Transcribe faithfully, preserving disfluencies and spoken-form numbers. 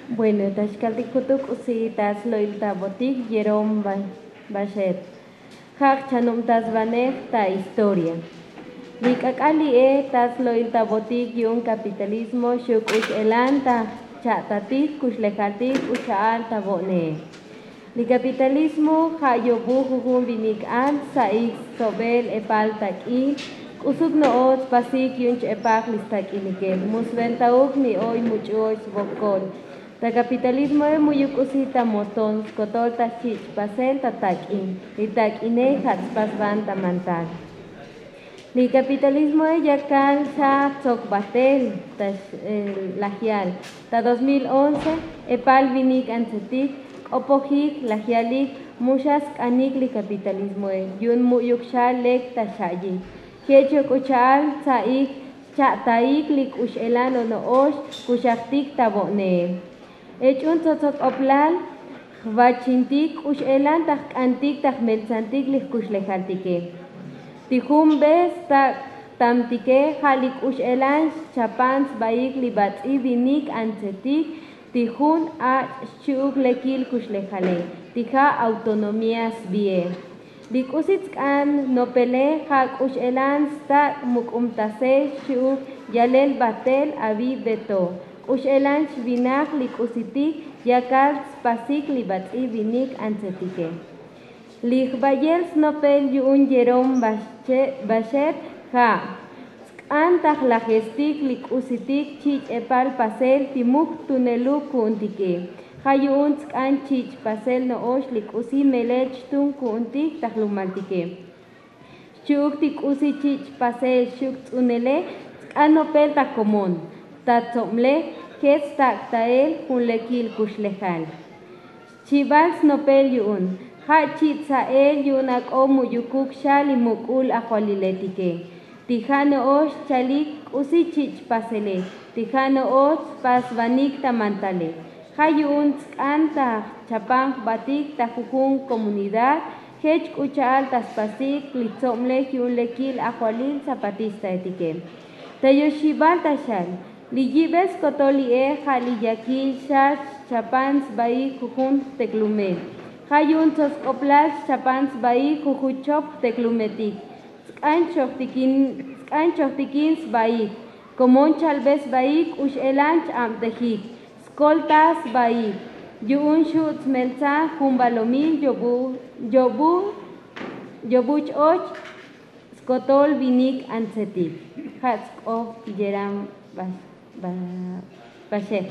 Bueno, ta xkaltik jutuk k'usi ta slo'il ta botik yerom baxet. Ja' jchanubtasbanej ta historia. Li k'ak'al li'e ta slo'il ta botik yu'un kapitalismo xu' k'u x'elan ta jcha'tatik kuxlejaltik k'u xa'al ta bo'ne. Li kapitalismo ja' yobu jujun vinik an stsa'ik stsobel epal tak'in. K'usuk no'ox tspasik yu'un ch'epaj li stak'inike mu sventauk mi oy much'u oy svokol. Ta kapitalismoe mu'yuk k'usi ta moton skotol ta xchich' pasel ta tak'in. Li tak'ine ja' tspasvan ta mantal. Li kapitalismoe yakal xa tsok batel ta lajyal ta dos mil once. Epal vinik antsetik k'opojik lajyalik mu xa sk'anik li kapitalismoe yu'un mu'yuk xa lek ta xa'yik. Jech yok k'u cha'al tsa'ik xcha'taik li k'u x'elan ono'ox kuxajtik ta bo'neel. Ech'un tsotsok'oplal jvachintik k'u x'elan ta jk'antik ta jmeltsantik li jkuxlejaltike. Ti jun be stak' tamtike ja' li k'u x'elan xchapan sbaik li bats'i vinik antsetik ti jun ach' xchi'uk lekil kuxlejale ti ja' autonomía sbie. Li k'usi tsk'an nopele ja' k'u x'elan stak' muk'umtasel xchi'uk yalel batel avi beto k'u x'elan xvinaj li k'usitik yakal tspasik li bats'i vinik antsetike. Li jvayel snopel yu'un yerom baxet ja' tsk'an ta jlajestik li k'usitik chich' epal pasel ti mu jtuneluk ku'untike. Ja' yu'un tsk'an chich' pasel no'ox li k'usi melel xtun ku'untik ta jlumaltike. Xchi'uk ti k'usi chich' pasel xchi'uk ts'unele tsk'an nopel ta komon ta tsoblej jech stak' tael jun lekil kuxlejal. Xchibal snopel yu'un ja' chi' tsa'el yu'un ak'o mu'yukuk xa li muk'ul ajvaliletike. Ti ja' no'ox chalik k'usi chich' pasele ti ja' no'ox tspasvanik ta mantale. Ja' yu'un tsk'an ta jchapan jbatik ta jujun komunidad jech k'u cha'al ta spasik li tsoblej yu'un lekil ajvalil zapatistaetike. Ta yoxibal ta xal li yibe skotol li'e ja' li yakil xa xchapan sbaik jujun jteklume. Ja' yu'un tsosk'oplal xchapan sbaik jujun chop jteklumetik. Tsk'an chojtikin sbaik komon chalbe sbaik k'u x'elan ch-abtejik skolta sbaik. Yu'un xu' tsmeltsan jun balomil yobu yobu yobu ch-och skotol vinik antsetik. Ja' tsk'oj yeram baxet.